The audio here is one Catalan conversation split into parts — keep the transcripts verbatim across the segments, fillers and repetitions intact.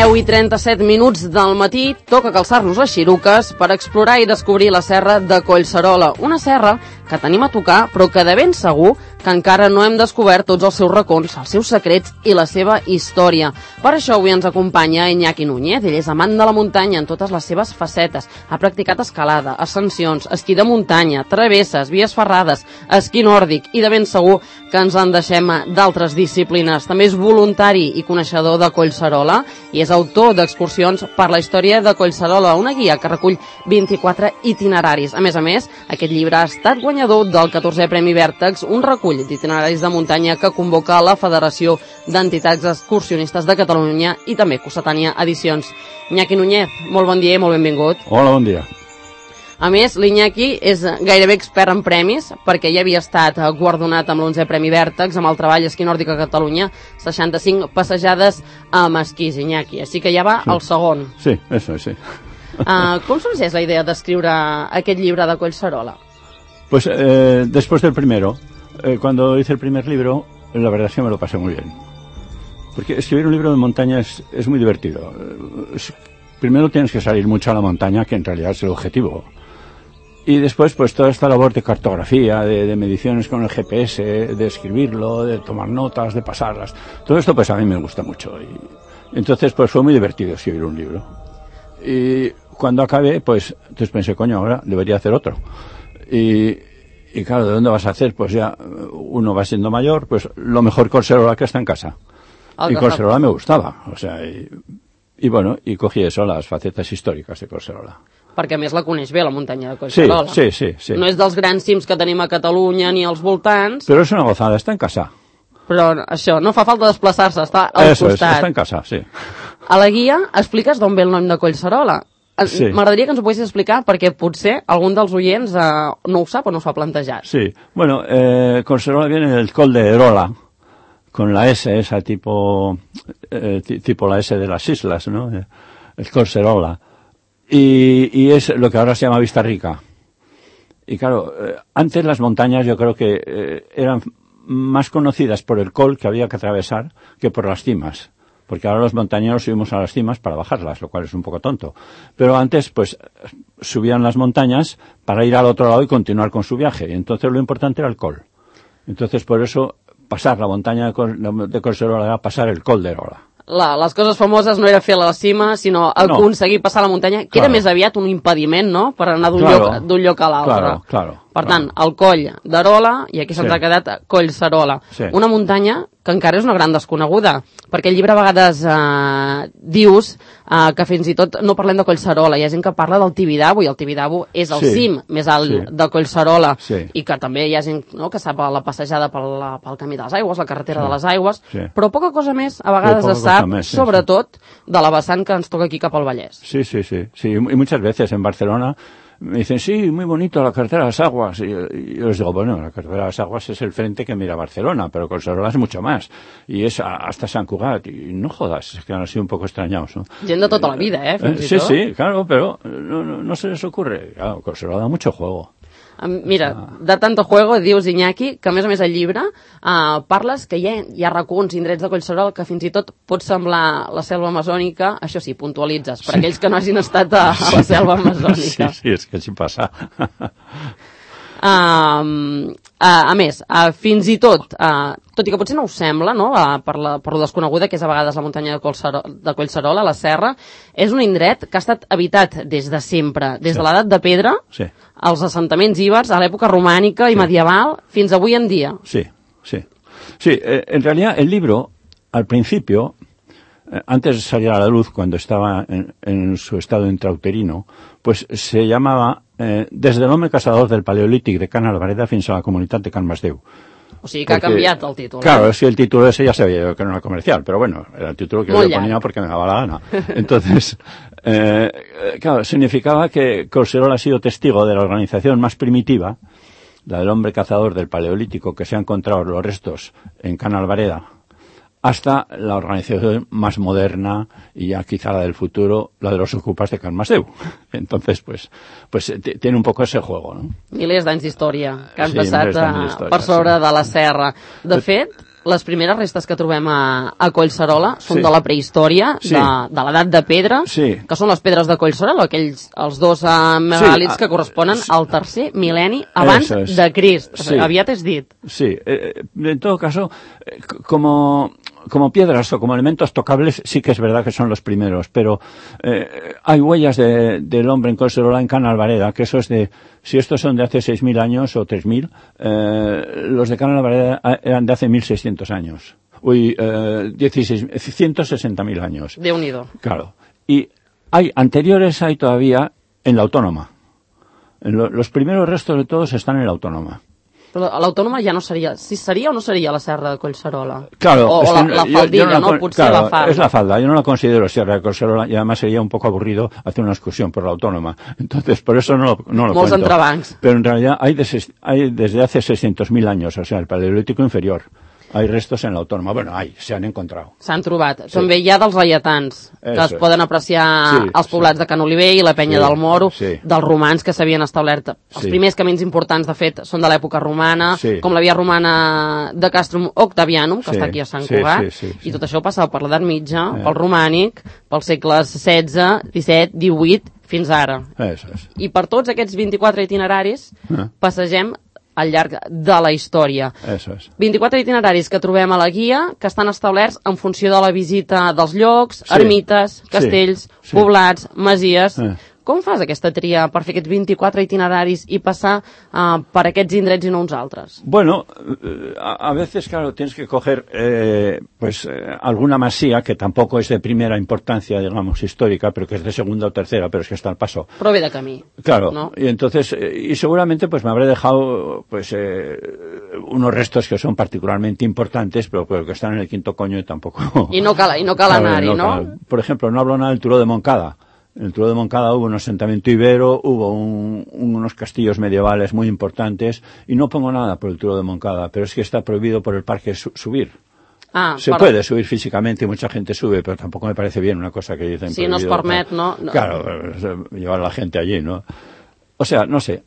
deu i trenta-set minuts del matí toca calçar-nos les xiruques per explorar i descobrir la serra de Collserola, una serra que tenim a tocar però que de ben segur que encara no hem descobert tots els seus racons, els seus secrets i la seva història. Per això avui ens acompanya Iñaki Núñez. Ell és amant de la muntanya en totes les seves facetes. Ha practicat escalada, ascensions, esquí de muntanya, travesses, vies ferrades, esquí nòrdic i de ben segur que ens en deixem d'altres disciplines. També és voluntari i coneixedor de Collserola i és autor d'excursions per la història de Collserola, una guia que recull vint-i-quatre itineraris. A més a més, aquest llibre ha estat guanyador del catorzè Premi Vèrtex, un recull d'itineraris de muntanya que convoca la Federació d'Entitats Excursionistes de Catalunya i també Cossetània Edicions. Iñaki Núñez, molt bon dia i molt benvingut. Hola, bon dia. A més, l'Iñaki és gairebé expert en premis perquè ja havia estat guardonat amb l'onzè Premi Vèrtex amb el treball esquí nòrdic a Catalunya, seixanta-cinc passejades amb esquís, Iñaki. Així que ja va sí. el segon. Sí, eso, sí. Uh, ¿Cómo sorgeix la idea d'escriure aquest llibre de Collserola? Pues eh, después del primero, eh, cuando hice el primer libro, la verdad es que me lo pasé muy bien. Porque escribir un libro de montaña es, es muy divertido. Es, primero tienes que salir mucho a la montaña, que en realidad es el objetivo. Y después, pues toda esta labor de cartografía, de, de mediciones con el G P S, de escribirlo, de tomar notas, de pasarlas. Todo esto, pues a mí me gusta mucho. Y entonces, pues fue muy divertido escribir un libro. Y cuando acabé, pues, entonces pensé, coño, ahora debería hacer otro. Y, y claro, ¿de dónde vas a hacer? Pues ya uno va siendo mayor, pues lo mejor Collserola que está en casa. Oh, y Collserola me gustaba, o sea, y, y bueno, y cogí eso, las facetas històriques de Collserola. Perquè a més la coneix bé, la muntanya de Collserola. Sí, sí, sí, sí. No és dels grans cims que tenim a Catalunya ni als voltants. Però és una gozada, està en casa. Però això, no fa falta desplaçar-se, està al eso costat. Eso es, està en casa, sí. A la guia expliques d'on ve el nom de Collserola. Sí. M'agradaria que ens ho poguessis explicar perquè potser algun dels oients eh, no ho sap o no s'ho ha plantejat. Sí, bueno, eh, Collserola viene del Coll de Erola, con la S, esa tipo, eh, tipo la S de las islas, ¿no? El Collserola. Y, y es lo que ahora se llama Vista Rica. Y claro, eh, antes las montañas yo creo que eh, eran más conocidas por el col que había que atravesar que por las cimas. Porque ahora los montañeros subimos a las cimas para bajarlas, lo cual es un poco tonto. Pero antes, pues, subían las montañas para ir al otro lado y continuar con su viaje. Y entonces lo importante era el col. Entonces, por eso, pasar la montaña de Collserola era pasar el col de Erola. La, les coses famoses no era fer la cima, sinó aconseguir no. passar la muntanya, que claro. Era més aviat un impediment, no?, per anar d'un claro. lloc, d'un lloc a l'altre. Claro, claro. Per tant, claro. el coll d'Erola, i aquí se'ns sí. ha quedat Collserola. Sí. Una muntanya que encara és una gran desconeguda, perquè el llibre a vegades eh, dius eh, que fins i tot no parlem de Collserola, hi ha gent que parla del Tibidabo, i el Tibidabo és el sí. cim més alt sí. de Collserola, sí. i que també hi ha gent no, que sap la passejada pel, pel camí de les aigües, la carretera sí. de les aigües, sí. però poca cosa més a vegades es sap, més, sí, sobretot sí. de la vessant que ens toca aquí cap al Vallès. Sí, sí, sí, sí, y muchas veces en Barcelona me dicen, sí, muy bonito la carretera de las aguas. Y, y yo les digo, bueno, la carretera de las aguas es el frente que mira Barcelona, pero Collserola es mucho más. Y es a, hasta Sant Cugat. Y no jodas, es que han sido un poco extrañados, ¿no? Gent de tota la vida, ¿eh? eh sí, sí, claro, pero no, no, no se les ocurre. Claro, Collserola da mucho juego. Mira, de tanto juego, dius, Iñaki, que a més a més al llibre uh, parles que hi ha, hi ha racons, indrets de Collserola que fins i tot pot semblar la selva amazònica, això sí, puntualitzes, per sí. aquells que no hagin estat a, a la selva amazònica. Sí, sí, és que així passa. Uh, uh, a més, uh, fins i tot, uh, tot i que potser no us sembla, no? uh, per, la, per lo desconeguda que és a vegades la muntanya de Collserola, de Collserola, la serra, és un indret que ha estat habitat des de sempre, des sí. de l'edat de pedra, sí. als assentaments ibers, a l'època romànica i sí. medieval, fins avui en dia. Sí, sí. Sí, eh, en realidad el libro, al principio, eh, antes de salir a la luz, cuando estaba en, en su estado intrauterino, pues se llamaba eh, Desde l'home caçador del Paleolític de Can Albareda fins a la comunitat de Can Masdeu. O sigui que porque, ha cambiat el títol. Claro, ¿eh? es que el título ese ya sabía yo que no era comercial, pero bueno, era el título que yo le ponía porque me daba la gana. Entonces, eh, claro, significaba que Collserola ha sido testigo de la organización más primitiva, la del hombre cazador del Paleolítico, que se ha encontrado los restos en Can Albareda, hasta la organización más moderna y ya quizá la del futuro, la de los ocupas de Can Masdeu. Entonces, pues, pues tiene un poco ese juego, ¿no? Milers d'anys d'història que han sí, passat a, per sobre sí. de la serra. De fet, les primeres restes que trobem a, a Collserola són Sí. de la prehistòria, Sí. de, de l'edat de pedra, Sí. que són les pedres de Collserola, aquells, els dos uh, megàlits Sí, que corresponen sí. al tercer mil·lenni abans Eso es. de Crist. Sí. Aviat és dit. Sí, eh, en todo caso, eh, como, como piedras o como elementos tocables, sí que es verdad que son los primeros, pero eh, hay huellas de, del hombre en Collserola, en Cana Alvareda, que eso es de, si estos son de hace seis mil años o tres mil, eh, los de Cana Alvareda eran de hace mil seiscientos años. Uy, eh, dieciséis, ciento sesenta mil años. Déu-n'hi-do. Claro. Y hay anteriores, hay todavía en la Autónoma. En lo, los primeros restos de todos están en la Autónoma. Però l'Autònoma ja no seria... Si seria o no seria la serra de Collserola? Claro. O, o la, la yo- faldilla, yo la no? con- Potser claro, la falda. es la falda. Yo no la considero Sierra de Collserola y además sería un poco aburrido hacer una excursión por la Autónoma. Entonces, por eso no lo, no lo Molts cuento. entrebancs. Pero en realidad hay, de ses- hay desde hace seiscientos mil años, o sea, el Paleolítico inferior. Hay restos en la Autónoma. Bueno, hay, se han encontrado. S'han trobat. Sí. També hi ha dels laietans, que Eso es es. poden apreciar Sí, als poblats sí. de Can Oliver i la Penya Sí, del Moro, sí. dels romans que s'havien establert. Els Sí. primers camins importants, de fet, són de l'època romana, Sí. com la via romana de Castrum Octavianum, que Sí, està aquí a Sant sí, Cugat, sí, sí, sí. i tot això passava per l'edat mitja, Eh. pel romànic, pels segles setze, disset, divuit, fins ara. Eso es. I per tots aquests vint-i-quatre itineraris Eh. passegem al llarg de la història. Eso es. vint-i-quatre itineraris que trobem a la guia, que estan establerts en funció de la visita dels llocs, Sí. ermites, castells, Sí. poblats, masies. Eh. Com fas aquesta tria per fer aquests vint-i-quatre itineraris i passar uh, per aquests indrets i no uns altres? Bueno, eh, a, a veces, claro, tienes que coger eh, pues eh, alguna masía que tampoco es de primera importancia, digamos, histórica, pero que es de segunda o tercera, pero es que está al paso. Però ve de camí. Claro, ¿no? y entonces, eh, y seguramente pues me habré dejado pues eh, unos restos que son particularmente importantes, pero, pero que están en el quinto coño y tampoco... I no cal, i no cal Claro, anar-hi, no? cal. Por ejemplo, no hablo nada del Turó de Moncada. En el Turó de Moncada hubo un asentamiento ibero, hubo un, unos castillos medievales muy importantes, y no pongo nada por el Turó de Moncada, pero es que está prohibido por el parque su- subir. Ah, Se per- puede subir físicamente y mucha gente sube, pero tampoco me parece bien una cosa que dicen. Sí, no es prohibido, permet, tal. no? No. Claro, eh, llevar a la gente allí, ¿no? O sea, no sé,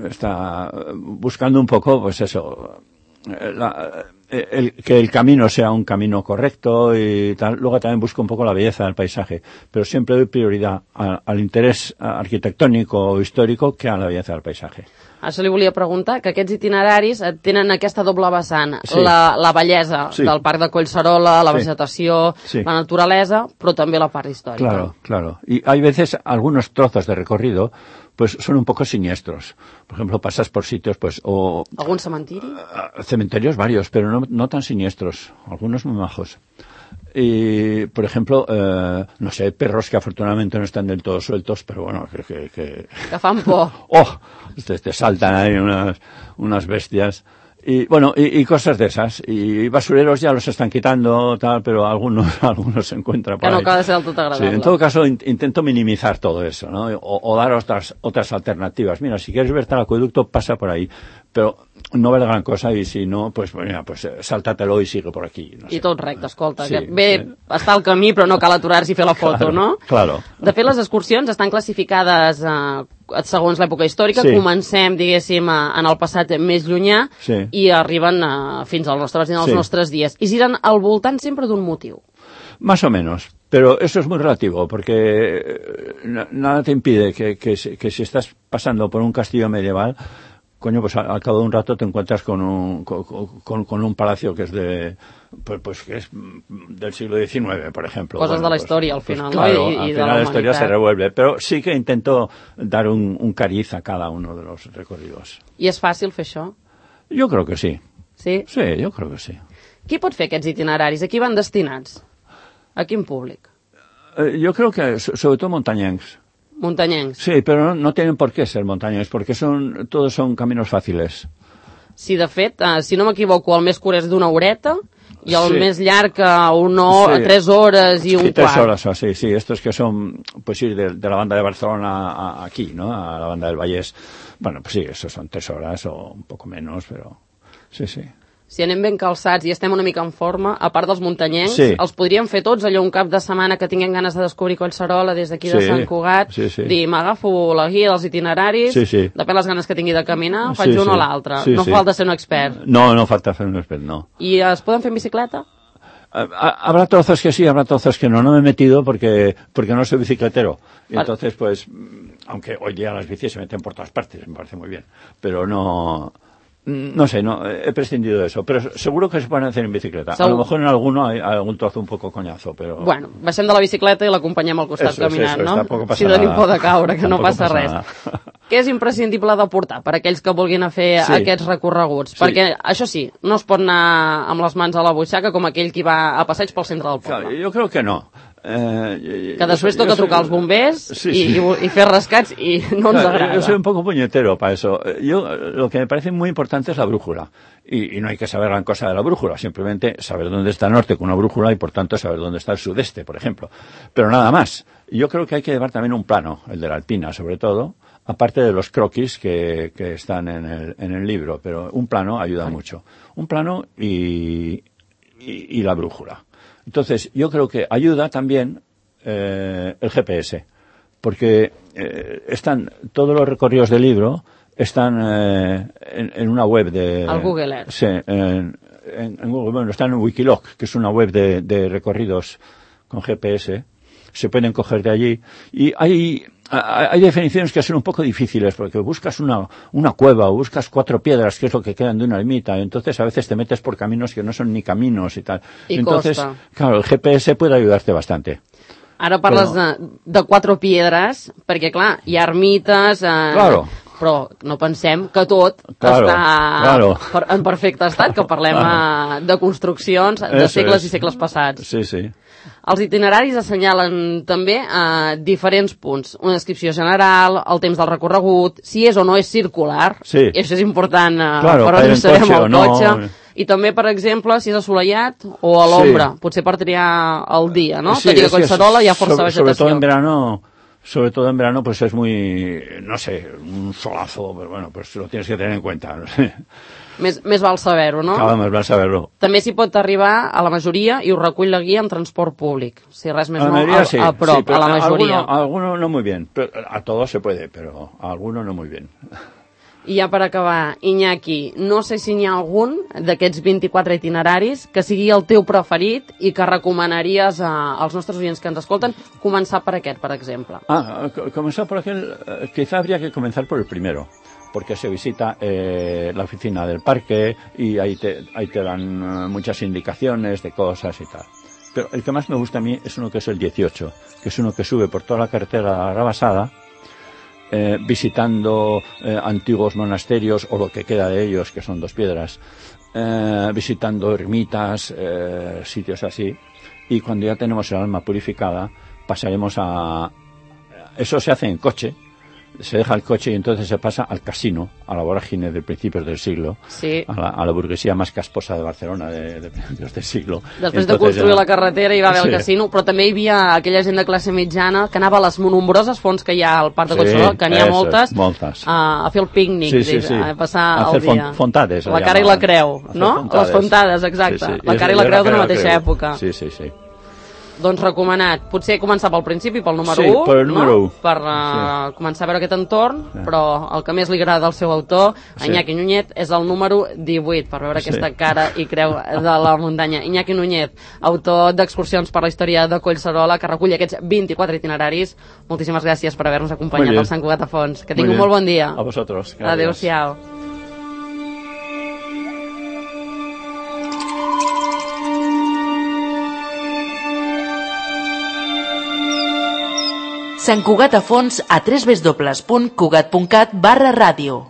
está eh, buscando un poco, pues eso, eh, la- eh, el- que el camino sea un camino correcto y tal. Luego también busco un poco la belleza del paisaje, pero siempre doy prioridad a- al interés arquitectónico o histórico que a la belleza del paisaje. Això li volia preguntar, que aquests itineraris eh, tenen aquesta doble vessant, Sí. la, la bellesa Sí. del parc de Collserola, la Sí. vegetació, Sí. la naturalesa, però també la part històrica. Claro, claro. Y hay veces algunos trozos de recorrido, pues son un poco siniestros. Por ejemplo, pasas por sitios, pues, o Algun cementiri? ah, cementerios varios, pero no, no tan siniestros, algunos muy majos. Y, por ejemplo, eh, no sé, perros que afortunadamente no están del todo sueltos, pero bueno, que... que, que... Que fan por. ¡Oh! Te, te saltan ahí unas, unas bestias. Y bueno, y, y cosas de esas. Y basureros ya los están quitando, tal, pero algunos, algunos se encuentran por Que no ahí. acaba de ser del tot Sí, agradable. en todo caso in- intento minimizar todo eso, ¿no? O, o dar otras otras alternativas. Mira, si quieres verte al acueducto, pasa por ahí. Pero no vale gran cosa y si no, pues mira, pues eh, sáltatelo y sigue por aquí. No sé. I tot recte, escolta. Sí, que bé, sí. està al camí, però no cal aturar-s'hi i fer la foto, Claro, no? claro. De fet, les excursions estan classificades eh, segons l'època històrica. Sí. Comencem, diguéssim, eh, en el passat més llunyà Sí. i arriben eh, fins al nostre, fins als Sí. nostres dies. I giren al voltant sempre d'un motiu. Más o menos. Pero eso es muy relativo, porque eh, na- nada te impide que, que, si- que si estás pasando por un castillo medieval, coño, pues al, al cabo de un rato te encuentras con un, con, con- con un palacio que es de, pues, pues que es mm, del siglo diecinueve, por ejemplo. Cosas de la pues- historia, al pues final, ¿no? claro, Y- y al de final la la historia se humanidad. revuelve, pero sí que intento dar un, un cariz a cada uno de los recorridos. I és fàcil fer això? Yo creo que sí. Sí? Sí, yo creo que sí. Qui pot fer aquests itineraris? A qui van destinats? A quin públic? Eh, yo creo que so- sobre todo montañencs. Muntanyencs. Sí, pero no, no tienen por qué ser montañas, porque son todos son caminos fáciles. Sí, de fet, eh, si no m'equivoco, el més curt és d'una horeta i el Sí. més llarg a una hora, Sí. tres hores i un Sí, tres quart. horas o así, sí. Estos que son, pues ir de, de la banda de Barcelona a, a aquí, ¿no? A la banda del Vallés. Bueno, pues sí, esos son tres horas o un poco menos, pero sí, sí. si anem ben calçats i estem una mica en forma, a part dels muntanyencs, sí. els podríem fer tots allò un cap de setmana que tinguem ganes de descobrir Collserola des d'aquí sí. de Sant Cugat, sí, sí. dir, m'agafo la guia dels itineraris, sí, sí. depèn les ganes que tingui de caminar, faig sí, un sí. o l'altre. Sí, no sí. falta ser un expert. No, no falta ser un expert, no. ¿Y es pueden hacer en bicicleta? Habrá trozos que sí, habrá trozos que no. No me he metido porque porque no soy bicicletero. Y entonces, pues, aunque hoy día las bicis se meten por todas partes, me parece muy bien. Pero no... No sé, no, he prescindido de eso, pero seguro que se pueden hacer en bicicleta. Segur. A lo mejor en alguno hay, hay algún trozo un poco coñazo, pero... Bueno, baixem de la bicicleta i l'acompanyem al costat eso, caminant, eso, no? Si tenim por de caure, que no passa res. Nada. Què és imprescindible de portar per aquells que vulguin a fer sí. aquests recorreguts? Sí. Perquè, això sí, no es pot anar amb les mans a la butxaca com aquell que va a passeig pel centre del poble. Claro, yo creo que no. Eh, que després yo, toca yo trucar soy... als bombers sí, i, sí. i, i fer rescats i no ens claro, agrada. Yo soy un poco puñetero para eso. Yo, lo que me parece muy importante es la brújula. Y, y no hay que saber gran cosa de la brújula, simplemente saber dónde está el norte con una brújula y por tanto saber dónde está el sudeste, por ejemplo. Pero nada más. Yo creo que hay que llevar también un plano, el de la alpina sobre todo, aparte de los croquis que, que están en el, en el libro, pero un plano ayuda mucho. Un plano y, y, y la brújula. Entonces, yo creo que ayuda también eh, el G P S, porque eh, están todos los recorridos del libro están eh, en, en una web de... Al Google Earth. Sí, en, en, en Google, bueno, están en Wikiloc, que es una web de, de recorridos con G P S. Se pueden coger de allí. Y hay, hay definiciones que son un poco difíciles, porque buscas una, una cueva o buscas cuatro piedras, que es lo que quedan de una ermita, y entonces a veces te metes por caminos que no son ni caminos y tal. Y entonces, costa. Claro, el G P S puede ayudarte bastante. Ara parles però... de, de quatre piedres, perquè, clar, hi ha ermites... Eh, claro. Però no pensem que tot claro, està claro. Per, en perfecte estat, que parlem claro. de construccions de Eso segles es. i segles passats. Sí, sí. Els itineraris assenyalen també eh, diferents punts. Una descripció general, el temps del recorregut, si és o no és circular, sí. i això és important eh, claro, per on estarem el no. cotxe. I també, per exemple, si és assolellat o a l'ombra, sí. potser per triar el dia, no? Sí, Tot i que a Collserola hi ha força sobre, vegetació. Sobre todo en verano... Sobre todo en verano, pues es muy, no sé, un solazo, pero bueno, pues lo tienes que tener en cuenta. No sé. Més, més val saber-ho, no? Cada més val saber-ho. També s'hi pot arribar a la majoria i ho recull la guia en transport públic. Si res més a no, mayoría, a, sí, a prop, sí, a la majoria. A alguno, a alguno no muy bien. Pero a todos se puede, pero a alguno no muy bien. I ja per acabar, Iñaki, no sé si n'hi ha algun d'aquests vint-i-quatre itineraris que sigui el teu preferit i que recomanaries a, als nostres oients que ens escolten començar per aquest, per exemple. Ah, comenzar por aquel, eh, quizá habría que comenzar por el primero, porque se visita eh, la oficina del parque y ahí te, ahí te dan uh, muchas indicaciones de cosas y tal. Pero el que más me gusta a mí es uno que es el dieciocho, que es uno que sube por toda la carretera Rabasada, Eh, visitando eh, antiguos monasterios o lo que queda de ellos, que son dos piedras, eh, visitando ermitas, eh, sitios así, y cuando ya tenemos el alma purificada pasaremos a... Eso se hace en coche, se deja el coche y entonces se pasa al casino, a la vorágine de principios del siglo, sí. a, la, a la burguesía más casposa de Barcelona de, de principios del siglo. Després entonces, de construir ja... la carretera hi va haver sí. el casino, però també hi havia aquella gent de classe mitjana que anava a les nombroses fonts que hi ha al Parc de Collserola, sí, que n'hi ha moltes, moltes. A, a fer el pícnic, sí, sí, sí. a passar a el dia. Fontades, la cara i la creu, no? Fontades. Les fontades, exacte. Sí, sí. La cara i la creu d'una mateixa època. Sí, sí, sí. Doncs recomanat. Potser començar pel principi, pel número sí, u, per el número no? u. Per uh, sí. començar a veure aquest entorn, sí. però el que més li agrada al seu autor, sí. Iñaki Núñez, és el número divuit, per veure sí. aquesta cara i creu de la muntanya. Iñaki Núñez, autor d'excursions per la història de Collserola, que recull aquests vint-i-quatre itineraris. Moltíssimes gràcies per haver-nos acompanyat al Sant Cugat a Fons. Que tingui un molt bon dia. A vosaltres. Adéu-siau. Sant Cugat a Fons a w w w punt cugat punt cat barra ràdio.